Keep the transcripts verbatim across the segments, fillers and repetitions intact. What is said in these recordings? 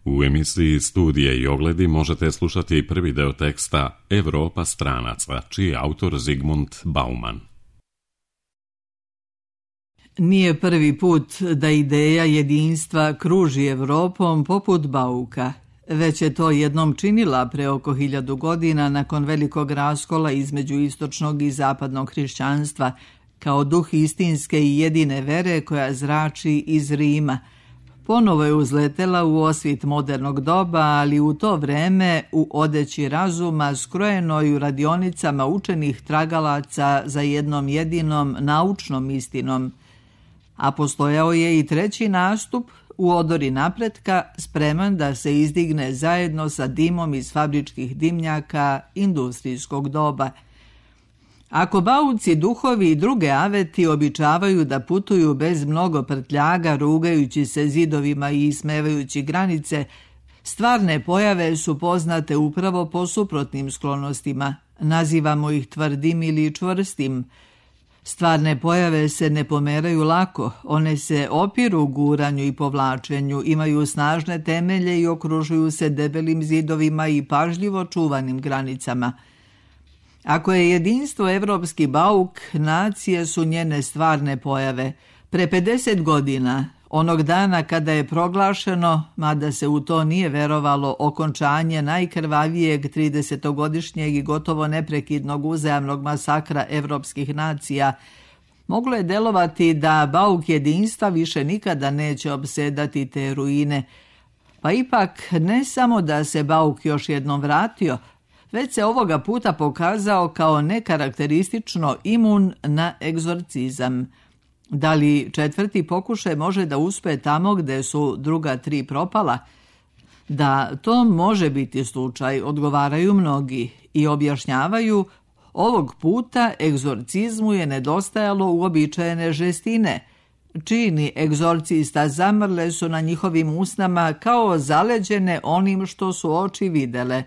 U emisiji Studije i ogledi možete slušati prvi deo teksta Evropa stranaca, čiji je autor Zygmunt Bauman. Nije prvi put da ideja jedinstva kruži Evropom poput Bauka. Već je to jednom činila pre oko hiljadu godina nakon velikog raskola između istočnog i zapadnog hrišćanstva, kao duh istinske i jedine vere koja zrači iz Rima. Ponovo je uzletela u osvit modernog doba, ali u to vreme u odeći razuma skrojenoj u radionicama učenih tragalaca za jednom jedinom naučnom istinom. A postojao je i treći nastup u odori napretka, spreman da se izdigne zajedno sa dimom iz fabričkih dimnjaka industrijskog doba. Ako bauci, duhovi i druge aveti običavaju da putuju bez mnogo prtljaga, rugajući se zidovima i ismevajući granice, stvarne pojave su poznate upravo po suprotnim sklonostima. Nazivamo ih tvrdim ili čvrstim. Stvarne pojave se ne pomeraju lako, one se opiru guranju i povlačenju, imaju snažne temelje i okružuju se debelim zidovima i pažljivo čuvanim granicama. Ako je jedinstvo evropski bauk, nacije su njene stvarne pojave. Pre pedeset godina, onog dana kada je proglašeno, mada se u to nije verovalo, okončanje najkrvavijeg tridesetogodišnjeg i gotovo neprekidnog uzajamnog masakra evropskih nacija, moglo je delovati da bauk jedinstva više nikada neće opsedati te ruine. Pa ipak ne samo da se bauk još jednom vratio, već se ovoga puta pokazao kao nekarakteristično imun na egzorcizam. Da li četvrti pokušaj može da uspe tamo gde su druga tri propala? Da to može biti slučaj, odgovaraju mnogi i objašnjavaju, ovog puta egzorcizmu je nedostajalo uobičajene žestine. Čini egzorcista zamrle su na njihovim usnama kao zaleđene onim što su oči videle.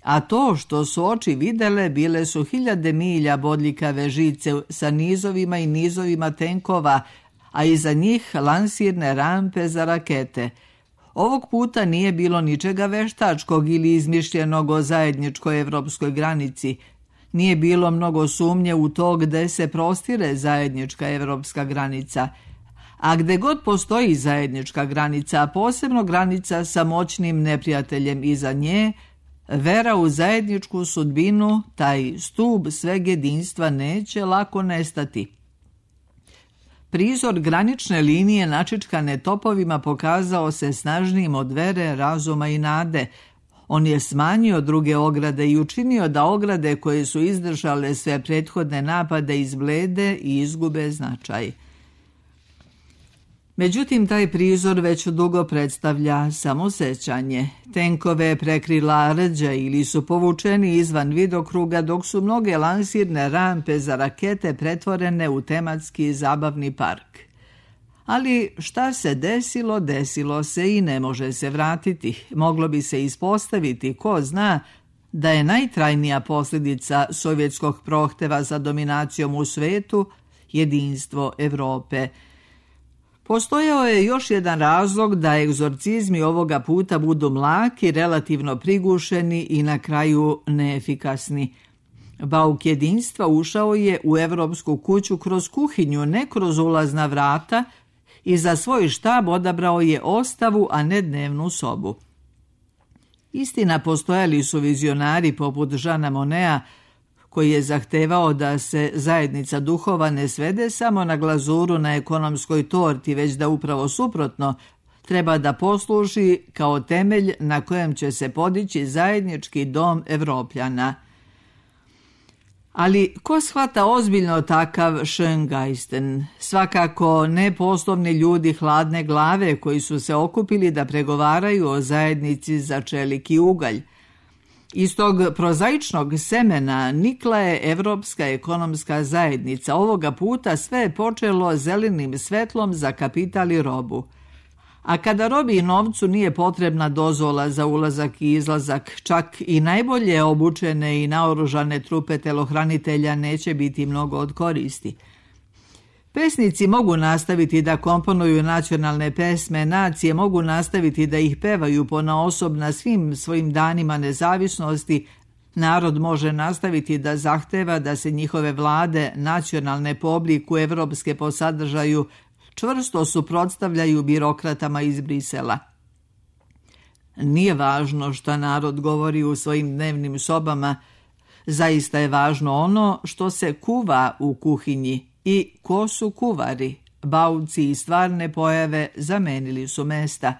A to što su oči videle bile su hiljade milja bodljikave žice sa nizovima i nizovima tenkova, a iza njih lansirne rampe za rakete. Ovog puta nije bilo ničega veštačkog ili izmišljenog o zajedničkoj evropskoj granici. Nije bilo mnogo sumnje u to gde se prostire zajednička evropska granica. A gde god postoji zajednička granica, a posebno granica sa moćnim neprijateljem iza nje, vera u zajedničku sudbinu, taj stub sveg jedinstva neće lako nestati. Prizor granične linije načičkane topovima pokazao se snažnijim od vere, razuma i nade. On je smanjio druge ograde i učinio da ograde koje su izdržale sve prethodne napade izblede i izgube značaj. Međutim, taj prizor već dugo predstavlja samo sećanje. Tenkove prekrila rđa ili su povučeni izvan vidokruga, dok su mnoge lansirne rampe za rakete pretvorene u tematski zabavni park. Ali šta se desilo, desilo se i ne može se vratiti. Moglo bi se ispostaviti, ko zna, da je najtrajnija posljedica sovjetskog prohteva za dominacijom u svetu jedinstvo Evrope. Postojao je još jedan razlog da egzorcizmi ovoga puta budu mlaki, relativno prigušeni i na kraju neefikasni. Bauk jedinstva ušao je u evropsku kuću kroz kuhinju, ne kroz ulazna vrata, i za svoj štab odabrao je ostavu, a ne dnevnu sobu. Istina, postojali su vizionari poput Žana Monea, koji je zahtevao da se zajednica duhova ne svede samo na glazuru na ekonomskoj torti, već da upravo suprotno treba da posluži kao temelj na kojem će se podići zajednički dom Evropljana. Ali ko shvata ozbiljno takav Schöngeisten? Svakako ne poslovni ljudi hladne glave koji su se okupili da pregovaraju o zajednici za čelik i ugalj. Iz tog prozaičnog semena nikla je Evropska ekonomska zajednica. Ovoga puta sve je počelo zelenim svetlom za kapital i robu. A kada robi i novcu nije potrebna dozvola za ulazak i izlazak, čak i najbolje obučene i naoružane trupe telohranitelja neće biti mnogo od koristi. Pesnici mogu nastaviti da komponuju nacionalne pesme, nacije mogu nastaviti da ih pevaju ponaosob na svim svojim danima nezavisnosti, narod može nastaviti da zahteva da se njihove vlade, nacionalne po obliku, evropske po sadržaju, čvrsto suprotstavljaju birokratama iz Brisela. Nije važno šta narod govori u svojim dnevnim sobama, zaista je važno ono što se kuva u kuhinji i ko su kuvari. Bauci i stvarne pojave zamenili su mesta.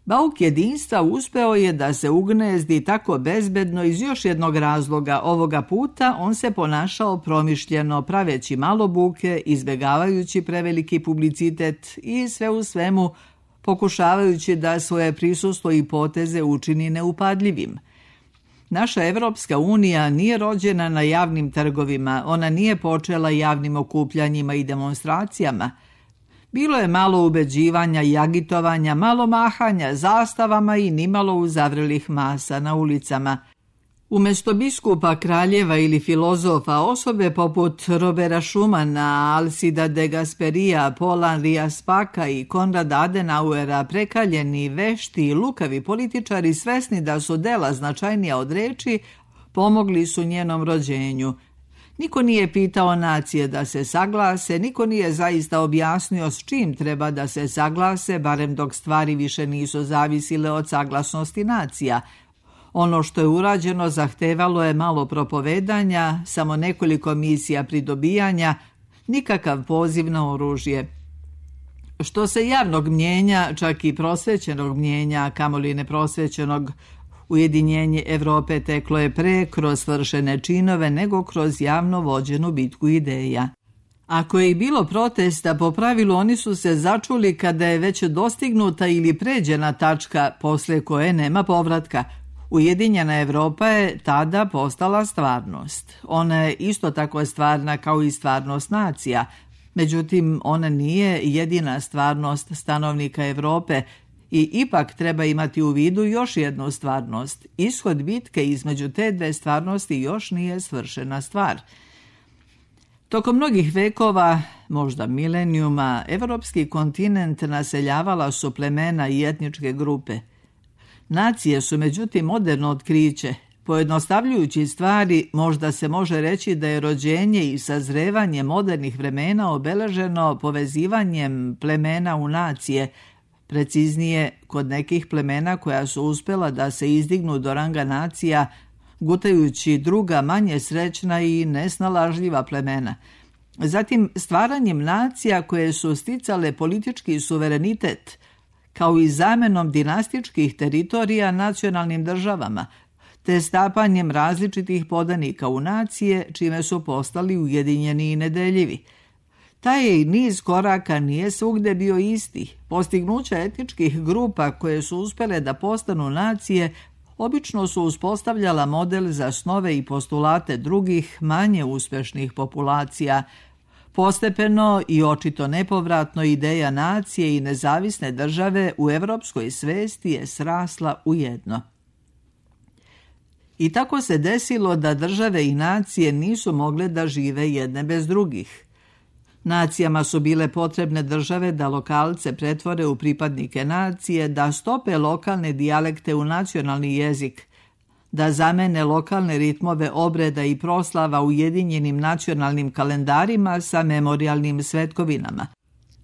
Bauk jedinstva uspeo je da se ugnezdi tako bezbedno iz još jednog razloga. Ovoga puta on se ponašao promišljeno, praveći malo buke, izbjegavajući preveliki publicitet i sve u svemu pokušavajući da svoje prisustvo i poteze učini neupadljivim. Naša Evropska unija nije rođena na javnim trgovima, ona nije počela javnim okupljanjima i demonstracijama. Bilo je malo ubeđivanja i agitovanja, malo mahanja zastavama i nimalo uzavrelih masa na ulicama. Umjesto biskupa, kraljeva ili filozofa, osobe poput Robera Schumana, Alcida de Gasperija, Paula Henria Spaka i Konrada Adenauera, prekaljeni, vešti i lukavi političari svesni da su dela značajnija od reči, pomogli su njenom rođenju. Niko nije pitao nacije da se saglase, niko nije zaista objasnio s čim treba da se saglase, barem dok stvari više nisu zavisile od saglasnosti nacija. Ono što je urađeno zahtevalo je malo propovedanja, samo nekoliko misija pridobijanja, nikakav poziv na oružje. Što se javnog mnjenja, čak i prosvećenog mnjenja, kamoli neprosvećenog, ujedinjenje Evrope teklo je pre kroz svršene činove nego kroz javno vođenu bitku ideja. Ako je i bilo protesta, po pravilu oni su se začuli kada je već dostignuta ili pređena tačka posle koje nema povratka. Ujedinjena Evropa je tada postala stvarnost. Ona je isto tako stvarna kao i stvarnost nacija. Međutim, ona nije jedina stvarnost stanovnika Evrope i ipak treba imati u vidu još jednu stvarnost. Ishod bitke između te dve stvarnosti još nije svršena stvar. Tokom mnogih vekova, možda milenijuma, evropski kontinent naseljavala su plemena i etničke grupe. Nacije su međutim moderno otkriće. Pojednostavljujući stvari, možda se može reći da je rođenje i sazrevanje modernih vremena obeleženo povezivanjem plemena u nacije, preciznije kod nekih plemena koja su uspjela da se izdignu do ranga nacija, gutajući druga manje srećna i nesnalažljiva plemena. Zatim stvaranjem nacija koje su sticale politički suverenitet, kao i zamenom dinastičkih teritorija nacionalnim državama, te stapanjem različitih podanika u nacije, čime su postali ujedinjeni i nedeljivi. Taj je niz koraka nije svugde bio isti. Postignuća etničkih grupa koje su uspjele da postanu nacije obično su uspostavljala model za snove i postulate drugih, manje uspešnih populacija. Postepeno i očito nepovratno ideja nacije i nezavisne države u evropskoj svesti je srasla u jedno. I tako se desilo da države i nacije nisu mogle da žive jedne bez drugih. Nacijama su bile potrebne države da lokalce pretvore u pripadnike nacije, da stope lokalne dijalekte u nacionalni jezik, da zamene lokalne ritmove obreda i proslava ujedinjenim nacionalnim kalendarima sa memorijalnim svetkovinama.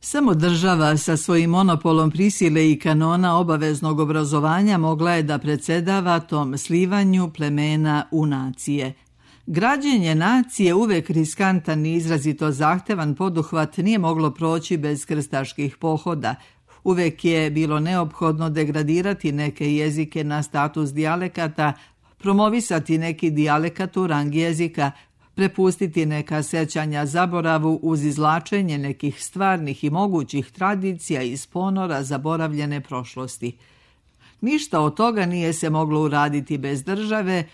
Samo država sa svojim monopolom prisile i kanona obaveznog obrazovanja mogla je da predsedava tom slivanju plemena u nacije. Građenje nacije, uvek riskantan i izrazito zahtevan poduhvat, nije moglo proći bez krstaških pohoda. Uvek je bilo neophodno degradirati neke jezike na status dijalekata, promovisati neki dijalekat u rang jezika, prepustiti neka sećanja zaboravu uz izvlačenje nekih stvarnih i mogućih tradicija iz ponora zaboravljene prošlosti. Ništa od toga nije se moglo uraditi bez države,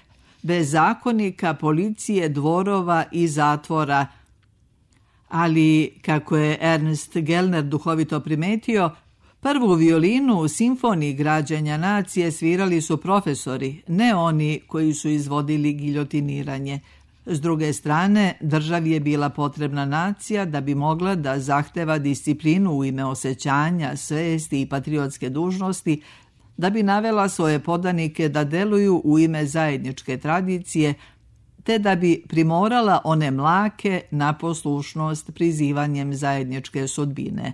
bez zakonika, policije, dvorova i zatvora. Ali, kako je Ernst Gellner duhovito primetio, prvu violinu u simfoniji građenja nacije svirali su profesori, ne oni koji su izvodili giljotiniranje. S druge strane, državi je bila potrebna nacija da bi mogla da zahteva disciplinu u ime osjećanja, svesti i patriotske dužnosti, da bi navela svoje podanike da deluju u ime zajedničke tradicije, te da bi primorala one mlake na poslušnost prizivanjem zajedničke sudbine.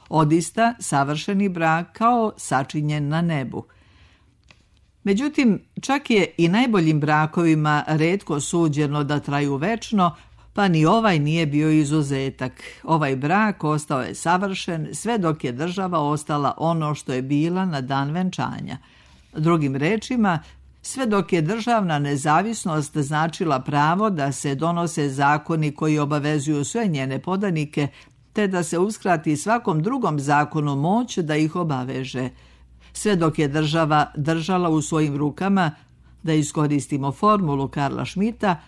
Odista savršeni brak kao sačinjen na nebu. Međutim, čak je i najboljim brakovima retko suđeno da traju večno, pa ni ovaj nije bio izuzetak. Ovaj brak ostao je savršen sve dok je država ostala ono što je bila na dan venčanja. Drugim rečima, sve dok je državna nezavisnost značila pravo da se donose zakoni koji obavezuju sve njene podanike, te da se uskrati svakom drugom zakonu moć da ih obaveže. Sve dok je država držala u svojim rukama, da iskoristimo formulu Karla Schmidta,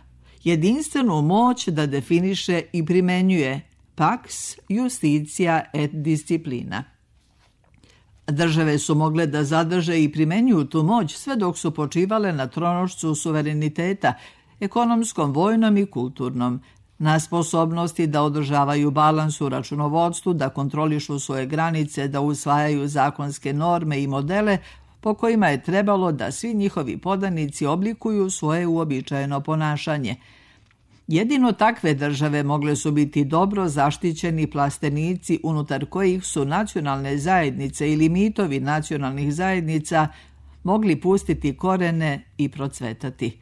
jedinstvenu moć da definiše i primenjuje pax, justitia et disciplina. Države su mogle da zadrže i primenjuju tu moć sve dok su počivale na tronošcu suvereniteta, ekonomskom, vojnom i kulturnom, na sposobnosti da održavaju balans u računovodstvu, da kontrolišu svoje granice, da usvajaju zakonske norme i modele po kojima je trebalo da svi njihovi podanici oblikuju svoje uobičajeno ponašanje. Jedino takve države mogle su biti dobro zaštićeni plastenici unutar kojih su nacionalne zajednice ili mitovi nacionalnih zajednica mogli pustiti korene i procvetati.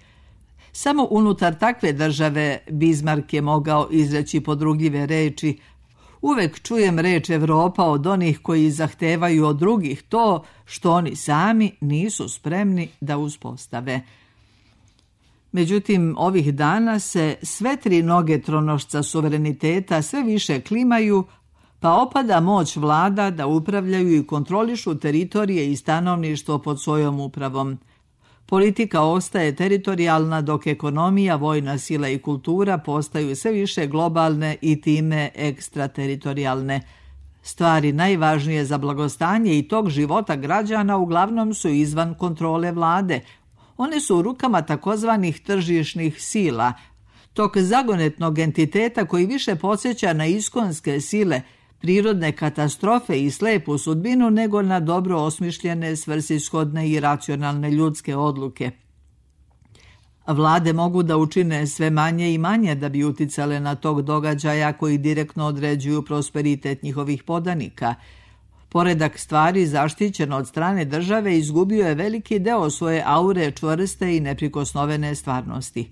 Samo unutar takve države Bismarck je mogao izreći podrugljive reči: uvek čujem reč Evropa od onih koji zahtevaju od drugih to što oni sami nisu spremni da uspostave. Međutim, ovih dana se sve tri noge tronošca suvereniteta sve više klimaju, pa opada moć vlada da upravljaju i kontrolišu teritorije i stanovništvo pod svojom upravom. Politika ostaje teritorijalna, dok ekonomija, vojna sila i kultura postaju sve više globalne i time ekstrateritorijalne. Stvari najvažnije za blagostanje i tog života građana uglavnom su izvan kontrole vlade. One su u rukama takozvanih tržišnih sila, tog zagonetnog entiteta koji više podsjeća na iskonske sile, prirodne katastrofe i slepu sudbinu nego na dobro osmišljene, svrsishodne i racionalne ljudske odluke. Vlade mogu da učine sve manje i manje da bi uticale na tog događaja koji direktno određuju prosperitet njihovih podanika. Poredak stvari zaštićen od strane države izgubio je veliki deo svoje aure čvrste i neprikosnovene stvarnosti.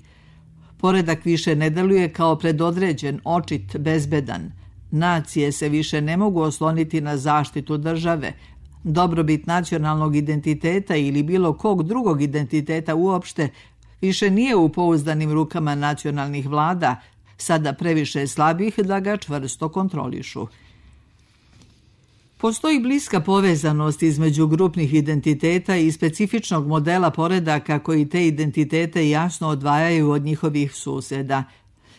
Poredak više ne deluje kao predodređen, očit, bezbedan. Nacije se više ne mogu osloniti na zaštitu države. Dobrobit nacionalnog identiteta ili bilo kog drugog identiteta uopšte više nije u pouzdanim rukama nacionalnih vlada, sada previše slabih da ga čvrsto kontrolišu. Postoji bliska povezanost između grupnih identiteta i specifičnog modela poredaka koji te identitete jasno odvajaju od njihovih suseda.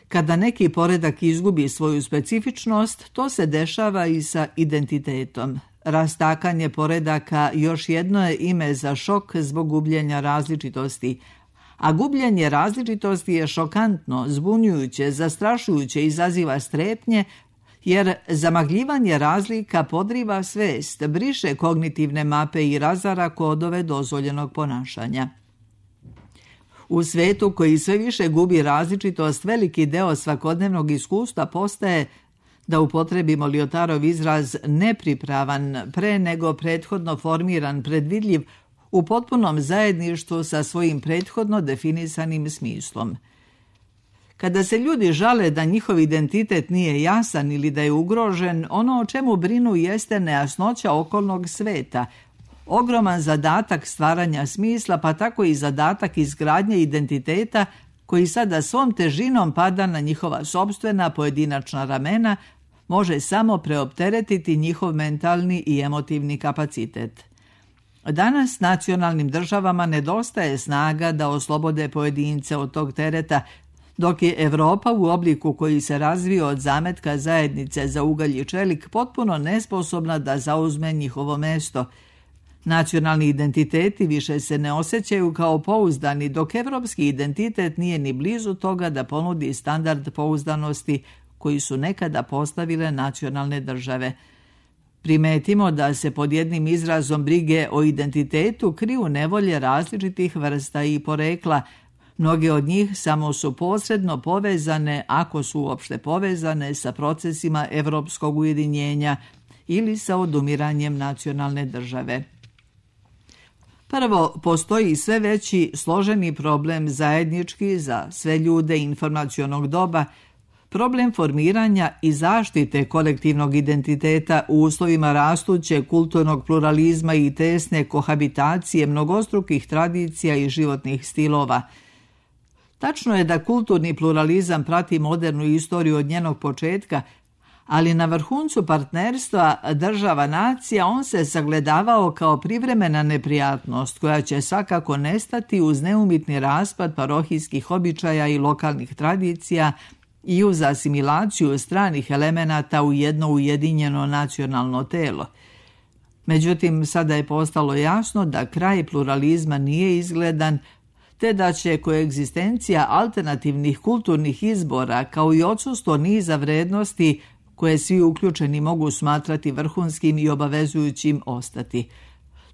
Kada neki poredak izgubi svoju specifičnost, to se dešava i sa identitetom. Rastakanje poredaka još jedno je ime za šok zbog gubljenja različitosti, a gubljenje različitosti je šokantno, zbunjujuće, zastrašujuće, izaziva strepnje, jer zamagljivanje razlika podriva svest, briše kognitivne mape i razara kodove dozvoljenog ponašanja. U svetu koji sve više gubi različitost, veliki deo svakodnevnog iskustva postaje, da upotrebimo Lyotarov izraz, nepripravan, pre nego prethodno formiran, predvidljiv, u potpunom zajedništvu sa svojim prethodno definisanim smislom. Kada se ljudi žale da njihov identitet nije jasan ili da je ugrožen, ono o čemu brinu jeste nejasnoća okolnog sveta, ogroman zadatak stvaranja smisla, pa tako i zadatak izgradnje identiteta koji sada svom težinom pada na njihova sopstvena pojedinačna ramena, može samo preopteretiti njihov mentalni i emotivni kapacitet. Danas nacionalnim državama nedostaje snaga da oslobode pojedince od tog tereta, dok je Evropa u obliku koji se razvio od zametka zajednice za ugalj i čelik potpuno nesposobna da zauzme njihovo mesto. Nacionalni identiteti više se ne osjećaju kao pouzdani, dok evropski identitet nije ni blizu toga da ponudi standard pouzdanosti koji su nekada postavile nacionalne države. Primetimo da se pod jednim izrazom brige o identitetu kriju nevolje različitih vrsta i porekla. Mnoge od njih samo su posredno povezane, ako su uopšte povezane, sa procesima evropskog ujedinjenja ili sa odumiranjem nacionalne države. Prvo, postoji sve veći složeni problem zajednički za sve ljude informacionog doba, problem formiranja i zaštite kolektivnog identiteta u uslovima rastućeg kulturnog pluralizma i tesne kohabitacije mnogostrukih tradicija i životnih stilova. Tačno je da kulturni pluralizam prati modernu istoriju od njenog početka, ali na vrhuncu partnerstva država nacija on se sagledavao kao privremena neprijatnost koja će svakako nestati uz neumitni raspad parohijskih običaja i lokalnih tradicija i uz asimilaciju stranih elemenata u jedno ujedinjeno nacionalno telo. Međutim, sada je postalo jasno da kraj pluralizma nije izgledan, te da će koegzistencija alternativnih kulturnih izbora kao i odsustvo niza vrednosti koje svi uključeni mogu smatrati vrhunskim i obavezujućim ostati.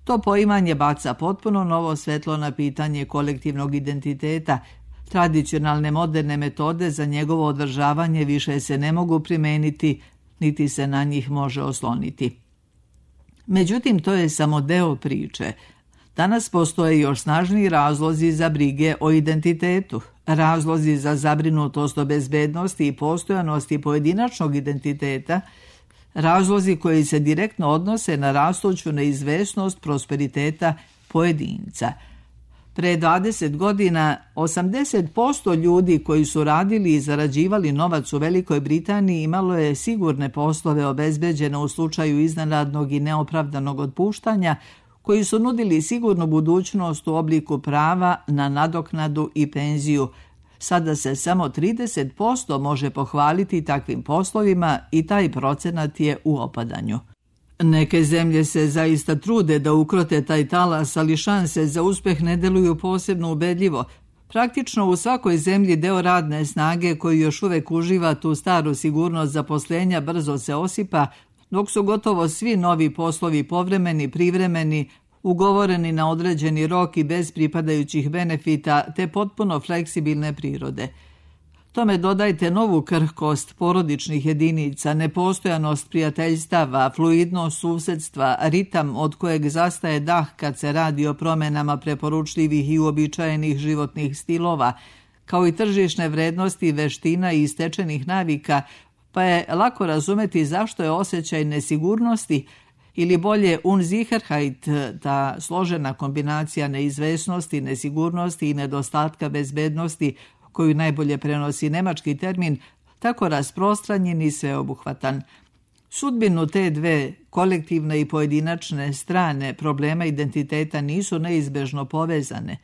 To poimanje baca potpuno novo svetlo na pitanje kolektivnog identiteta. Tradicionalne moderne metode za njegovo održavanje više se ne mogu primeniti, niti se na njih može osloniti. Međutim, to je samo deo priče. Danas postoje još snažniji razlozi za brige o identitetu, razlozi za zabrinutost o bezbednosti i postojanosti pojedinačnog identiteta, razlozi koji se direktno odnose na rastuću neizvesnost prosperiteta pojedinca. Pre dvadeset godina osamdeset posto ljudi koji su radili i zarađivali novac u Velikoj Britaniji imalo je sigurne poslove obezbeđene u slučaju iznenadnog i neopravdanog otpuštanja, koji su nudili sigurnu budućnost u obliku prava na nadoknadu i penziju. Sada se samo trideset posto može pohvaliti takvim poslovima i taj procenat je u opadanju. Neke zemlje se zaista trude da ukrote taj talas, ali šanse za uspeh ne deluju posebno ubedljivo. Praktično u svakoj zemlji deo radne snage koji još uvek uživa tu staru sigurnost zaposlenja brzo se osipa, dok su gotovo svi novi poslovi povremeni, privremeni, ugovoreni na određeni rok i bez pripadajućih benefita, te potpuno fleksibilne prirode. Tome dodajte novu krhkost porodičnih jedinica, nepostojanost prijateljstava, fluidnost susedstva, ritam od kojeg zastaje dah kad se radi o promenama preporučljivih i uobičajenih životnih stilova, kao i tržišne vrednosti, veština i stečenih navika, pa je lako razumeti zašto je osjećaj nesigurnosti ili bolje Unsicherheit, ta složena kombinacija neizvesnosti, nesigurnosti i nedostatka bezbednosti, koju najbolje prenosi nemački termin, tako rasprostranjen i sveobuhvatan. Sudbinu te dve, kolektivne i pojedinačne strane problema identiteta nisu neizbežno povezane.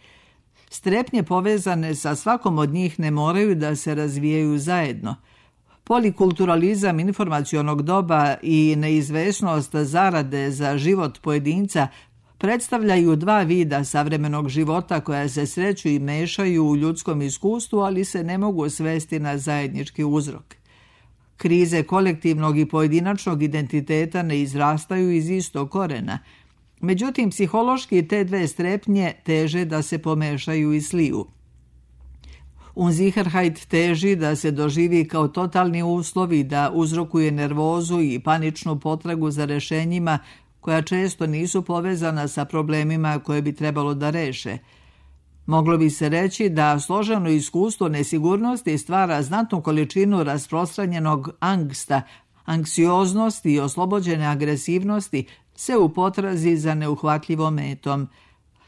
Strepnje povezane sa svakom od njih ne moraju da se razvijaju zajedno. Polikulturalizam informacionog doba i neizvesnost zarade za život pojedinca predstavljaju dva vida savremenog života koja se sreću i mešaju u ljudskom iskustvu, ali se ne mogu svesti na zajednički uzrok. Krize kolektivnog i pojedinačnog identiteta ne izrastaju iz istog korena. Međutim, psihološki te dve strepnje teže da se pomešaju i sliju. Unsicherheit teži da se doživi kao totalni uslov i da uzrokuje nervozu i paničnu potragu za rešenjima koja često nisu povezana sa problemima koje bi trebalo da reše. Moglo bi se reći da složeno iskustvo nesigurnosti stvara znatnu količinu rasprostranjenog angsta, anksioznosti i oslobođene agresivnosti se u potrazi za neuhvatljivom metom.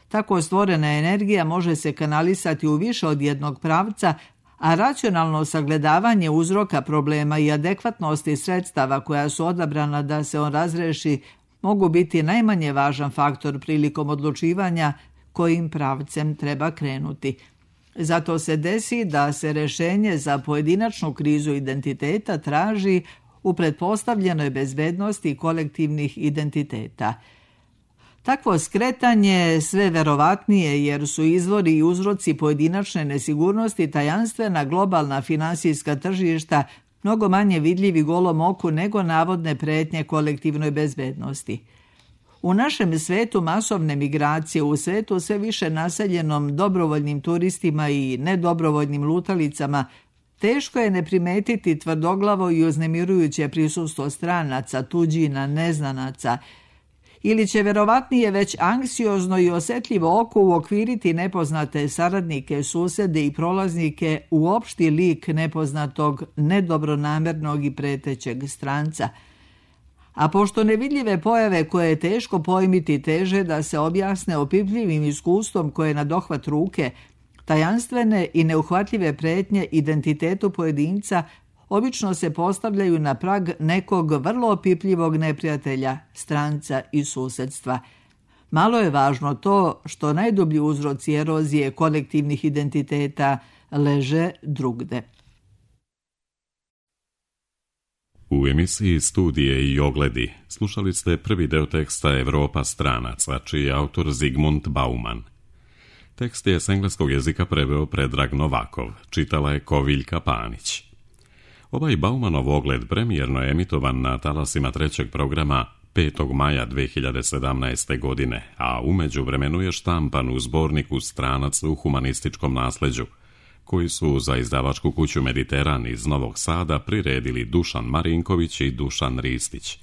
Tako stvorena energija može se kanalisati u više od jednog pravca, a racionalno sagledavanje uzroka problema i adekvatnosti sredstava koja su odabrana da se on razreši mogu biti najmanje važan faktor prilikom odlučivanja kojim pravcem treba krenuti. Zato se desi da se rešenje za pojedinačnu krizu identiteta traži u pretpostavljenoj bezbednosti kolektivnih identiteta. Takvo skretanje sve verovatnije jer su izvori i uzroci pojedinačne nesigurnosti tajanstvena globalna finansijska tržišta mnogo manje vidljivi golom oku nego navodne pretnje kolektivnoj bezbednosti. U našem svetu masovne migracije, u svetu sve više naseljenom dobrovoljnim turistima i nedobrovoljnim lutalicama, teško je ne primetiti tvrdoglavo i uznemirujuće prisustvo stranaca, tuđina, neznanaca, ili će verovatnije već anksiozno i osjetljivo oko uokviriti nepoznate saradnike, susede i prolaznike u opšti lik nepoznatog, nedobronamernog i pretećeg stranca. A pošto nevidljive pojave koje je teško pojmiti teže da se objasne opipljivim iskustvom koje je na dohvat ruke, tajanstvene i neuhvatljive pretnje identitetu pojedinca obično se postavljaju na prag nekog vrlo opipljivog neprijatelja, stranca i susedstva. Malo je važno to što najdublji uzroci erozije kolektivnih identiteta leže drugde. U emisiji Studije i ogledi slušali ste prvi deo teksta Evropa stranaca, čiji je autor Zygmunt Bauman. Tekst je s engleskog jezika preveo Predrag Novakov, čitala je Koviljka Panić. Ovaj Baumanov ogled premijerno je emitovan na talasima trećeg programa petog maja dve hiljade sedamnaeste. godine, a u međuvremenu je štampan u zborniku Stranac u humanističkom nasleđu, koji su za izdavačku kuću Mediteran iz Novog Sada priredili Dušan Marinković i Dušan Ristić.